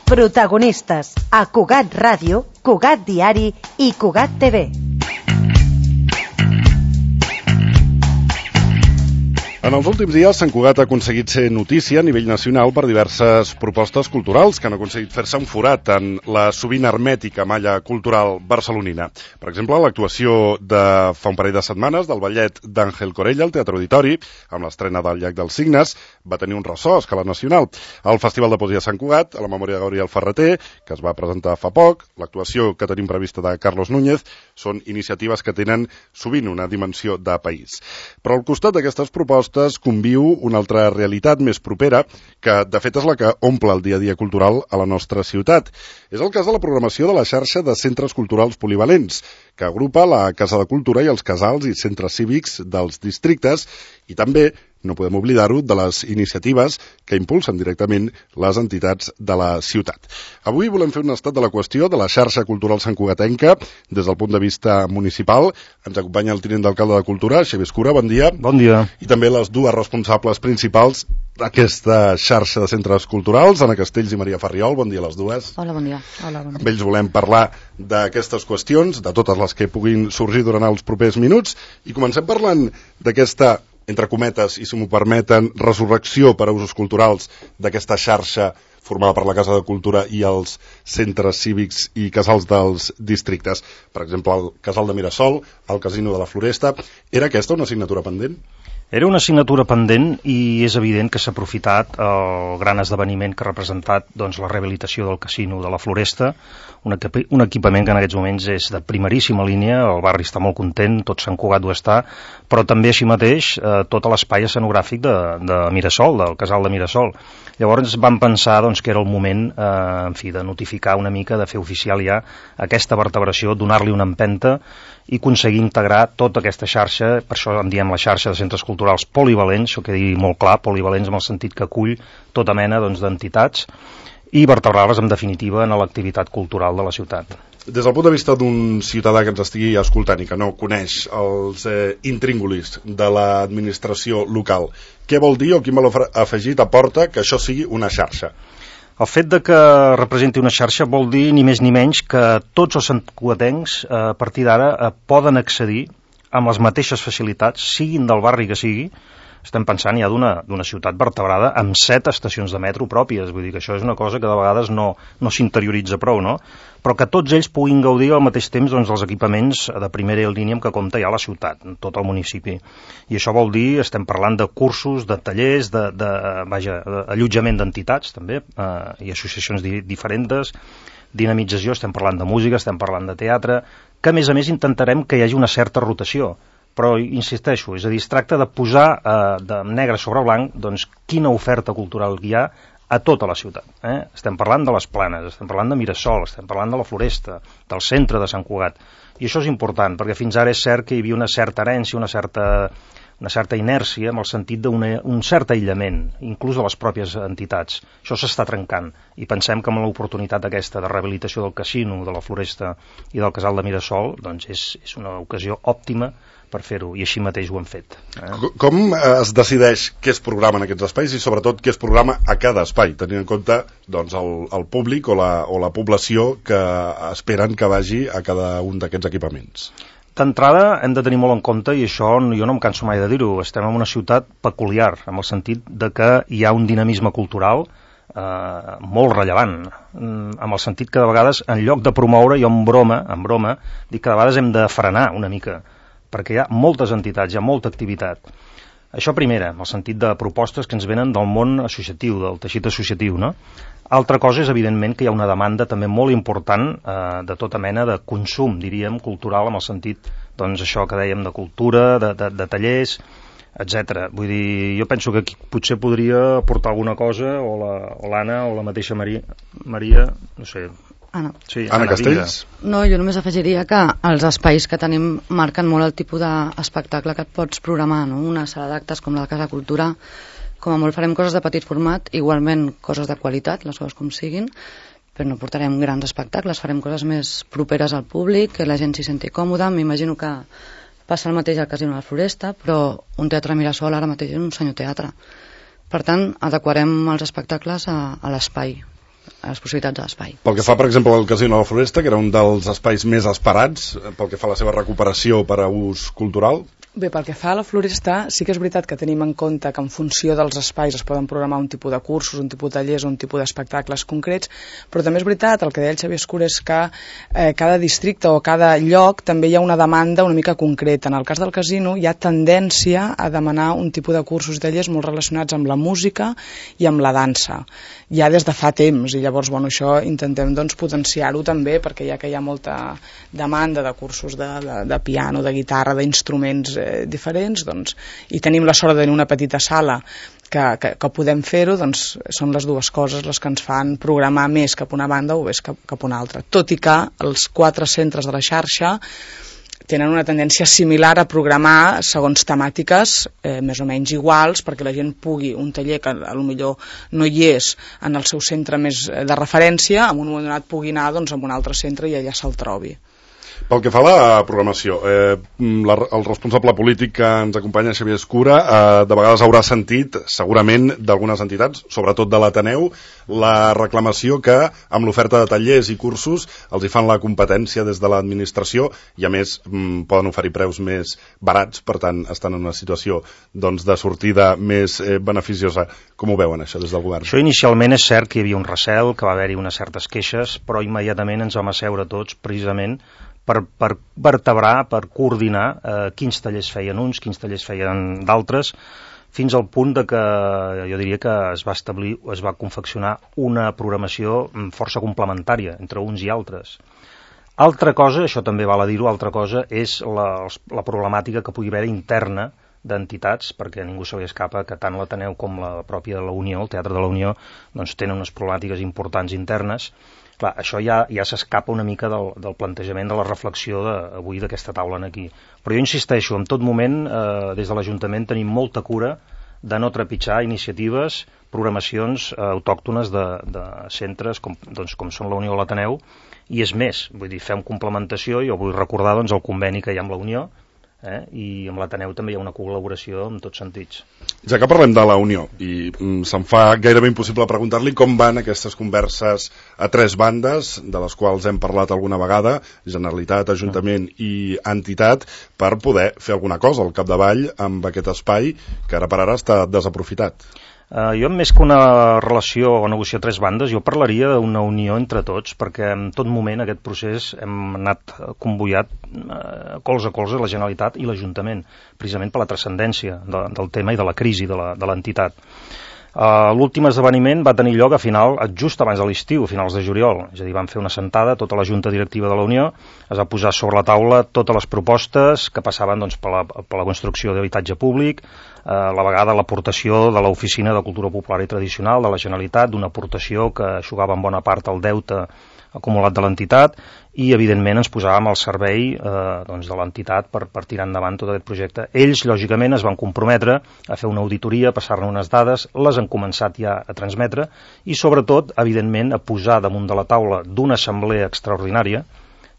Protagonistes a Cugat Ràdio, Cugat Diari i Cugat TV. En els últims dies, Sant Cugat ha aconseguit ser notícia a nivell nacional per diverses propostes culturals que han aconseguit fer-se un forat en la sovint hermètica malla cultural barcelonina. Per exemple, l'actuació de fa un parell de setmanes del ballet d'Àngel Corella al Teatre Auditori, amb l'estrena del Llac dels Cignes, va tenir un ressò a escala nacional. El Festival de Poesia de Sant Cugat, a la memòria de Gabriel Ferreter, que es va presentar fa poc, l'actuació que tenim prevista de Carlos Núñez, són iniciatives que tenen sovint una dimensió de país. Però al costat d'aquestes propostes conviu una altra realitat més propera que, de fet, és la que omple el dia a dia cultural a la nostra ciutat. És el cas de la programació de la xarxa de centres culturals polivalents, que agrupa la Casa de Cultura i els casals i centres cívics dels districtes i també, no podem oblidar-ho, de les iniciatives que impulsen directament les entitats de la ciutat. Avui volem fer un estat de la qüestió de la xarxa cultural santcugatenca des del punt de vista municipal. Ens acompanya el tinent d'alcalde de Cultura, Xavier Escura, bon dia. Bon dia. I també les dues responsables principals d'aquesta xarxa de centres culturals, Anna Castells i Maria Farriol. Bon dia a les dues. Hola, bon dia. Hola, bon dia. Amb ells volem parlar d'aquestes qüestions, de totes les que puguin sorgir durant els propers minuts, i comencem parlant d'aquesta, entre cometes, i si m'ho permeten, resurrecció per a usos culturals d'aquesta xarxa formada per la Casa de Cultura i els centres cívics i casals dels districtes. Per exemple, el casal de Mirasol, el casino de la Floresta. Era aquesta una assignatura pendent? Era una assignatura pendent i és evident que s'ha aprofitat el gran esdeveniment que ha representat la rehabilitació del casino de la Floresta, un equipament que en aquests moments és de primeríssima línia, el barri està molt content, tot Sant Cugat ho està, però també així mateix tot l'espai escenogràfic de Mirasol, del casal de Mirasol. Llavors vam pensar que era el moment de notificar una mica, de fer oficial ja aquesta vertebració, donar-li una empenta i aconseguir integrar tota aquesta xarxa, per això en diem la xarxa de centres culturals polivalents, això que dir molt clar, polivalents en el sentit que acull tota mena d'entitats i vertebrar-les en definitiva en l'activitat cultural de la ciutat. Des del punt de vista d'un ciutadà que ens estigui escoltant i que no coneix els intríngulis de l'administració local, què vol dir o quin valor afegit aporta que això sigui una xarxa? El fet de que representi una xarxa vol dir ni més ni menys que tots els santcugatencs a partir d'ara poden accedir amb les mateixes facilitats, siguin del barri que sigui. Estem pensant ja d'una ciutat vertebrada amb 7 estacions de metro pròpies, vull dir que això és una cosa que de vegades no s'interioritza prou, no? Però que tots ells puguin gaudir al mateix temps dels equipaments de primera línia amb què compta ja la ciutat, tot el municipi. I això vol dir, estem parlant de cursos, de tallers, d'allotjament d'entitats també, i associacions diferents, dinamització, estem parlant de música, estem parlant de teatre, que a més intentarem que hi hagi una certa rotació. Però insisteixo, és a dir, es tracta de posar de negre sobre blanc quina oferta cultural hi ha a tota la ciutat. Estem parlant de les Planes, estem parlant de Mirasol, estem parlant de la Floresta, del centre de Sant Cugat. I això és important, perquè fins ara és cert que hi havia una certa herència, una certa inèrcia, en el sentit d'un cert aïllament, inclús de les pròpies entitats. Això s'està trencant, i pensem que amb l'oportunitat aquesta de rehabilitació del casino, de la Floresta i del casal de Mirasol, és una ocasió òptima per fer-ho, i així mateix ho hem fet. Com es decideix què es programa en aquests espais i sobretot què es programa a cada espai, tenint en compte el públic o la població que esperen que vagi a cada un d'aquests equipaments? D'entrada hem de tenir molt en compte, i això jo no em canso mai de dir-ho, estem en una ciutat peculiar, en el sentit de que hi ha un dinamisme cultural molt rellevant, en el sentit que de vegades en lloc de promoure, jo en broma dic que de vegades hem de frenar una mica, perquè hi ha moltes entitats, hi ha molta activitat. Això primera, en el sentit de propostes que ens venen del món associatiu, del teixit associatiu, no? Altra cosa és, evidentment, que hi ha una demanda també molt important de tota mena de consum, diríem, cultural, en el sentit, això que dèiem de cultura, de tallers, etc. Vull dir, jo penso que aquí potser podria aportar alguna cosa, o l'Anna o la mateixa Maria, no sé. Anna. Sí, Anna Castells? No, jo només afegiria que els espais que tenim marquen molt el tipus d'espectacle que et pots programar, no? Una sala d'actes com la Casa Cultura, com a molt farem coses de petit format, igualment coses de qualitat, les coses com siguin, però no portarem grans espectacles, farem coses més properes al públic, que la gent s'hi senti còmoda. M'imagino que passa el mateix al Casino de la Floresta, però un teatre Mirasol ara mateix és un senyor teatre. Per tant, adequarem els espectacles a l'espai les possibilitats de l'espai. Pel que fa, per exemple, al Casino de la Floresta, que era un dels espais més esperats pel que fa a la seva recuperació per a ús cultural. Bé, pel que fa a la Floresta, sí que és veritat que tenim en compte que en funció dels espais es poden programar un tipus de cursos, un tipus de tallers, un tipus d'espectacles concrets, però també és veritat, el que deia el Xavier Escura és que cada districte o cada lloc també hi ha una demanda una mica concreta. En el cas del casino hi ha tendència a demanar un tipus de cursos i tallers molt relacionats amb la música i amb la dansa, ja des de fa temps, i llavors això intentem potenciar-ho també, perquè ja que hi ha molta demanda de cursos de piano, de guitarra, d'instruments diferents, i tenim la sort de tenir una petita sala que podem fer-ho, són les dues coses les que ens fan programar més cap a una banda o més cap a una altra. Tot i que els 4 centres de la xarxa tenen una tendència similar a programar segons temàtiques més o menys iguals, perquè la gent pugui, un taller que potser no hi és en el seu centre més de referència, en un moment donat pugui anar a un altre centre i allà se'l trobi. Pel que fa a la programació, el responsable polític que ens acompanya, Xavier Escura, de vegades haurà sentit, segurament, d'algunes entitats, sobretot de l'Ateneu, la reclamació que amb l'oferta de tallers i cursos els hi fan la competència des de l'administració i, a més, poden oferir preus més barats, per tant, estan en una situació de sortida més beneficiosa. Com ho veuen, això, des del govern? Això inicialment és cert que hi havia un recel, que va haver-hi unes certes queixes, però immediatament ens vam asseure tots, precisament, per vertebrar, per coordinar quins tallers feien uns, quins tallers feien d'altres, fins al punt de que jo diria que es va confeccionar una programació força complementària entre uns i altres. Altra cosa, això també val a dir-ho, altra cosa és la problemàtica que pugui haver interna d'entitats, perquè a ningú se li escapa que tant l'Ateneu com la pròpia de la Unió, el Teatre de la Unió, tenen unes problemàtiques importants internes. Clar, això ja s'escapa una mica del plantejament de la reflexió avui d'aquesta taula aquí. Però jo insisteixo, en tot moment, des de l'Ajuntament tenim molta cura de no trepitjar iniciatives, programacions autòctones de centres com són la Unió o l'Ateneu, i és més, vull dir, fem complementació. Jo vull recordar el conveni que hi ha amb la Unió, i amb l'Ateneu també hi ha una col·laboració en tots sentits. Ja que parlem de la Unió, i se'm fa gairebé impossible preguntar-li com van aquestes converses a 3 bandes, de les quals hem parlat alguna vegada, Generalitat, Ajuntament i entitat, per poder fer alguna cosa al capdavall amb aquest espai que ara per ara està desaprofitat. Jo, més que una relació o negociar 3 bandes, jo parlaria d'una unió entre tots, perquè en tot moment aquest procés hem anat convoiat colze a colze la Generalitat i l'Ajuntament, precisament per la transcendència del tema i de la crisi de l'entitat. L'últim esdeveniment va tenir lloc just abans de l'estiu, a finals de juliol, és a dir, vam fer una assentada, tota la Junta Directiva de la Unió, es va posar sobre la taula totes les propostes que passaven per la construcció d'habitatge públic, a la vegada l'aportació de l'Oficina de Cultura Popular i Tradicional de la Generalitat, d'una aportació que aixugava en bona part el deute acumulat de l'entitat, i evidentment ens posàvem al servei de l'entitat per tirar endavant tot aquest projecte. Ells, lògicament, es van comprometre a fer una auditoria, a passar-ne unes dades, les han començat ja a transmetre, i sobretot, evidentment, a posar damunt de la taula d'una assemblea extraordinària,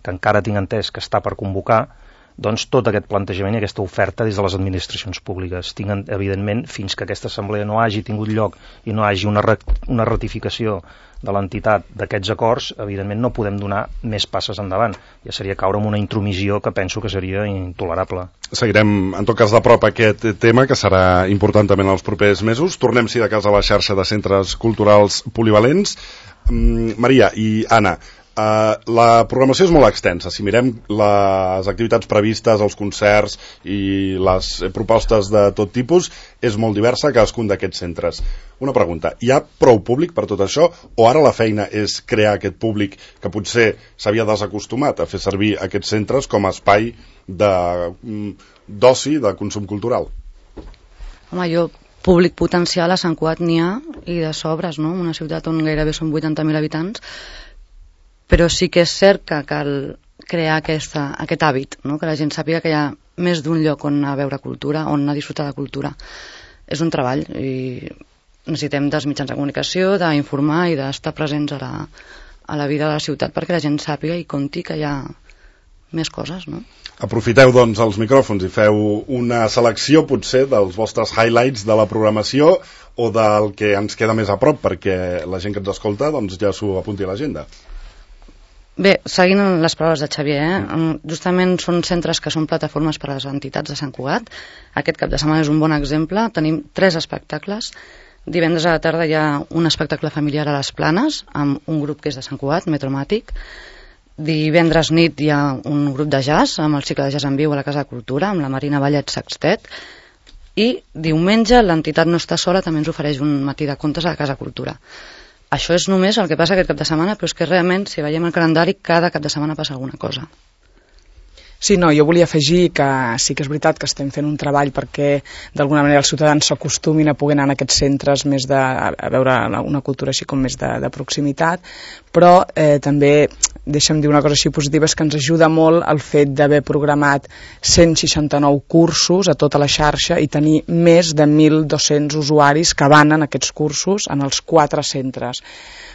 que encara tinc entès que està per convocar, tot aquest plantejament i aquesta oferta des de les administracions públiques. Evidentment, fins que aquesta assemblea no hagi tingut lloc i no hagi una ratificació de l'entitat d'aquests acords, evidentment no podem donar més passes endavant. Ja seria caure en una intromissió que penso que seria intolerable. Seguirem, en tot cas, de prop aquest tema, que serà important també en els propers mesos. Tornem, si de cas, a la xarxa de centres culturals polivalents. Maria i Anna, la programació és molt extensa. Si mirem les activitats previstes, els concerts i les propostes de tot tipus, és molt diversa a cadascun d'aquests centres. Una pregunta, hi ha prou públic per tot això, o ara la feina és crear aquest públic que potser s'havia desacostumat a fer servir aquests centres com a espai d'oci, de consum cultural? Home, públic potencial a Sant Cugat n'hi ha, i de sobres, no? Una ciutat on gairebé són 80.000 habitants, però sí que és cert que cal crear aquest hàbit, no? Que la gent sàpiga que hi ha més d'un lloc on anar a veure cultura, on anar a disfrutar de cultura. És un treball i necessitem dels mitjans de comunicació, d'informar i d'estar presents a la vida de la ciutat perquè la gent sàpiga i conti que hi ha més coses, no? Aprofiteu, els micròfons i feu una selecció, potser, dels vostres highlights de la programació, o del que ens queda més a prop, perquè la gent que ens escolta doncs ja s'ho apunti a l'agenda. Bé, seguint les paraules de Xavier, justament són centres que són plataformes per a les entitats de Sant Cugat. Aquest cap de setmana és un bon exemple. Tenim 3 espectacles. Divendres a la tarda hi ha un espectacle familiar a les Planes, amb un grup que és de Sant Cugat, Metromàtic. Divendres nit hi ha un grup de jazz, amb el cicle de jazz en viu a la Casa de Cultura, amb la Marina Vallet Sextet. I diumenge l'entitat No està sola també ens ofereix un matí de contes a la Casa de Cultura. Això és només el que passa aquest cap de setmana, però és que realment, si veiem el calendari, cada cap de setmana passa alguna cosa. Sí, no, jo volia afegir que sí que és veritat que estem fent un treball perquè d'alguna manera els ciutadans s'acostumin a poder anar a aquests centres més a veure una cultura així com més de proximitat, però també deixa'm dir una cosa així positiva, és que ens ajuda molt el fet d'haver programat 169 cursos a tota la xarxa i tenir més de 1.200 usuaris que van en aquests cursos en els 4 centres.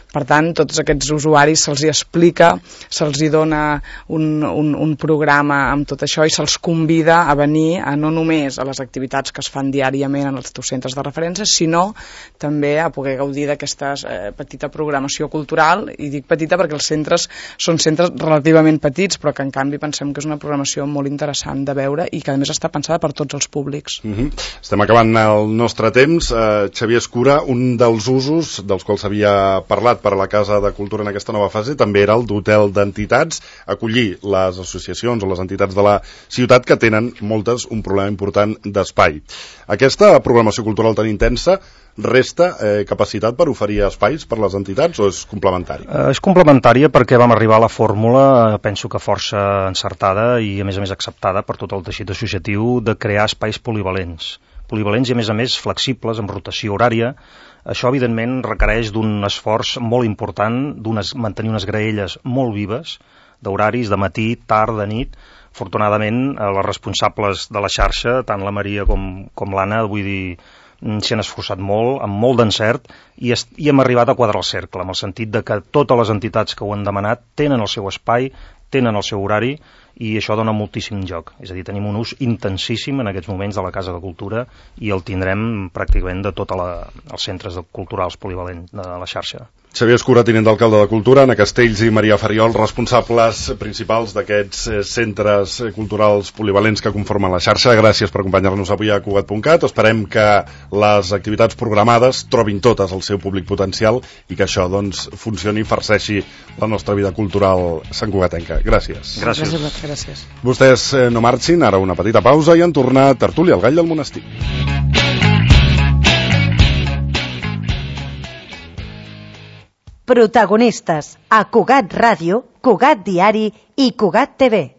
Per tant, tots aquests usuaris se'ls hi explica, se'ls hi dona un programa amb tot això i se'ls convida a venir no només a les activitats que es fan diàriament en els teus centres de referència, sinó també a poder gaudir d'aquesta petita programació cultural, i dic petita perquè els centres són centres relativament petits, però que en canvi pensem que és una programació molt interessant de veure i que a més està pensada per tots els públics. Estem acabant el nostre temps. Xavier Escura, un dels usos dels quals s'havia parlat per a la Casa de Cultura en aquesta nova fase també era el d'hotel d'entitats, acollir les associacions o les entitats de la ciutat que tenen moltes un problema important d'espai. Aquesta programació cultural tan intensa resta capacitat per oferir espais per les entitats o és complementari? És complementària perquè vam arribar a la fórmula, penso que força encertada i a més acceptada per tot el teixit associatiu de crear espais polivalents i a més flexibles, amb rotació horària. Això, evidentment, requereix d'un esforç molt important, mantenir unes graelles molt vives, d'horaris, de matí, tard, de nit. Afortunadament, les responsables de la xarxa, tant la Maria com l'Anna, vull dir, s'hi han esforçat molt, amb molt d'encert, i hem arribat a quadrar el cercle, amb el sentit de que totes les entitats que ho han demanat tenen el seu espai, tenen el seu horari, i això dona moltíssim joc. És a dir, tenim un ús intensíssim en aquests moments de la Casa de Cultura i el tindrem pràcticament de tots els centres culturals polivalents de la xarxa. Xavier Escura, tinent d'alcalde de Cultura, Anna Castells i Maria Fariol, responsables principals d'aquests centres culturals polivalents que conformen la xarxa. Gràcies per acompanyar-nos avui a Cugat.cat. Esperem que les activitats programades trobin totes el seu públic potencial i que això doncs funcioni i farceixi la nostra vida cultural santcugatenca. Gràcies. Gràcies. Vostès no marxin, ara una petita pausa i en tornar tertúlia al Gall del Monestir. Protagonistes a Cugat Ràdio, Cugat Diari i Cugat TV.